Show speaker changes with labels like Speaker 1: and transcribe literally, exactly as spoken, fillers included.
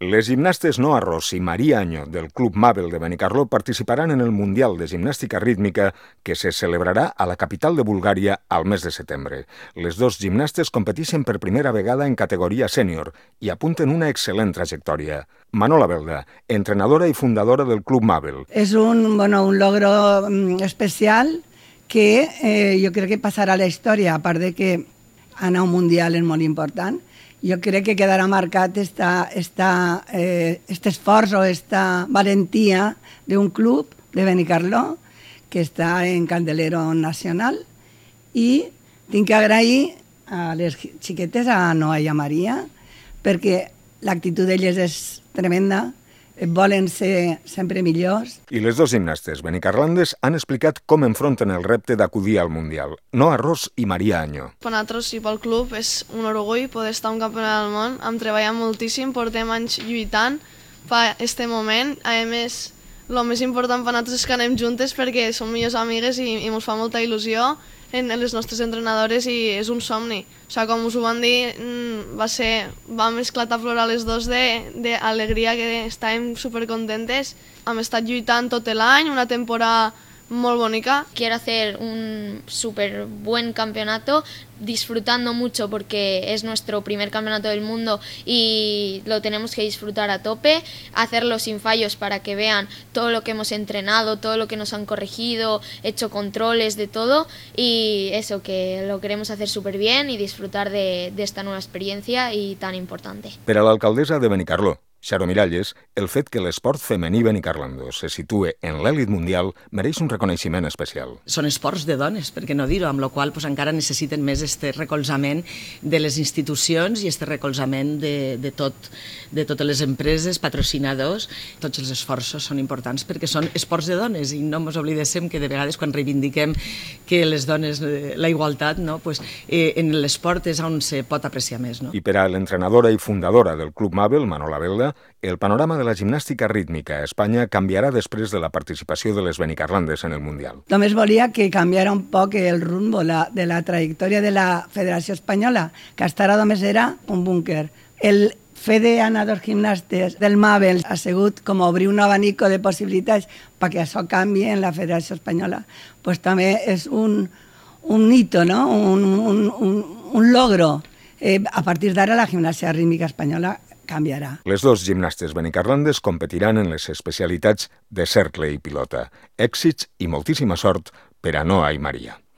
Speaker 1: Les gimnastes Noa Ros y María Año del Club Mabel de Benicarló participarán en el Mundial de Gimnàstica Rítmica que se celebrarà a la capital de Bulgària al mes de setembre. Les dos gimnastes competeixen per primera vegada en categoria sènior i apunten una excel·lent trajectòria. Manola Belda, entrenadora i fundadora del Club Mabel.
Speaker 2: És un, bueno, un logro especial que eh, jo crec que passarà a la història, a part de que anar a un Mundial és molt important. Jo crec que quedarà marcat esta, esta, eh, este esforç o esta valentia d'un club de Benicarló que està en candelero nacional, i tinc que agrair a les xiquetes, a Noa i a Maria, perquè l'actitud d'elles és tremenda, volen ser sempre millors.
Speaker 1: I les dos gimnastes benicarlandes han explicat com enfronten el repte d'acudir al Mundial. Noa Ros i Maria Año.
Speaker 3: Per nosaltres i pel club és un orgull poder estar a un campionat del món. Hem treballat moltíssim, portem anys lluitant per aquest moment. A més, el més important per nosaltres és que anem juntes perquè som millors amigues i, i ens fa molta il·lusió en les nostres entrenadores i és un somni. O sigui, com us ho van dir, va ser, vam esclatar a plorar les dos d'alegria, que estàvem supercontentes. Hem estat lluitant tot l'any, una temporada molt bonica.
Speaker 4: Quiero hacer un súper buen campeonato, disfrutando mucho porque es nuestro primer campeonato del mundo y lo tenemos que disfrutar a tope, hacerlo sin fallos para que vean todo lo que hemos entrenado, todo lo que nos han corregido, hecho controles de todo, y eso, que lo queremos hacer súper bien y disfrutar de, de esta nueva experiencia y tan importante.
Speaker 1: Per a l'alcaldessa de Benicarló, Xaro Miralles, el fet que l'esport femení benicarlandó se situe en l'èlit mundial mereix un reconeixement especial.
Speaker 5: Són esports de dones, per què no dir-ho, amb la qual cosa encara necessiten més este recolzament de les institucions i este recolzament de, de, tot, de totes les empreses, patrocinadors. Tots els esforços són importants perquè són esports de dones i no ens oblidéssim que de vegades quan reivindiquem que les dones, la igualtat, no? Pues, eh, en l'esport és on se pot apreciar més. No?
Speaker 1: I per a l'entrenadora i fundadora del Club Mabel, Manola Belda, el panorama de la gimnàstica rítmica a Espanya canviarà després de la participació de les benicarlandes en el Mundial.
Speaker 2: Només volia que canviara un poc el rumbo la, de la trajectòria de la Federació Espanyola, que hasta ara només era un búnquer. El Fede Anador Gimnastes del Mabel ha sigut com obrir un abanico de possibilitats perquè això canvi en la Federació Espanyola. Pues també és un, un hito, ¿no? un, un, un, un logro. Eh, a partir d'ara la gimnàstica rítmica espanyola canviarà.
Speaker 1: Les dos gimnastes benicarlandes competiran en les especialitats de cercle i pilota. Èxits i moltíssima sort per a Noa i Maria.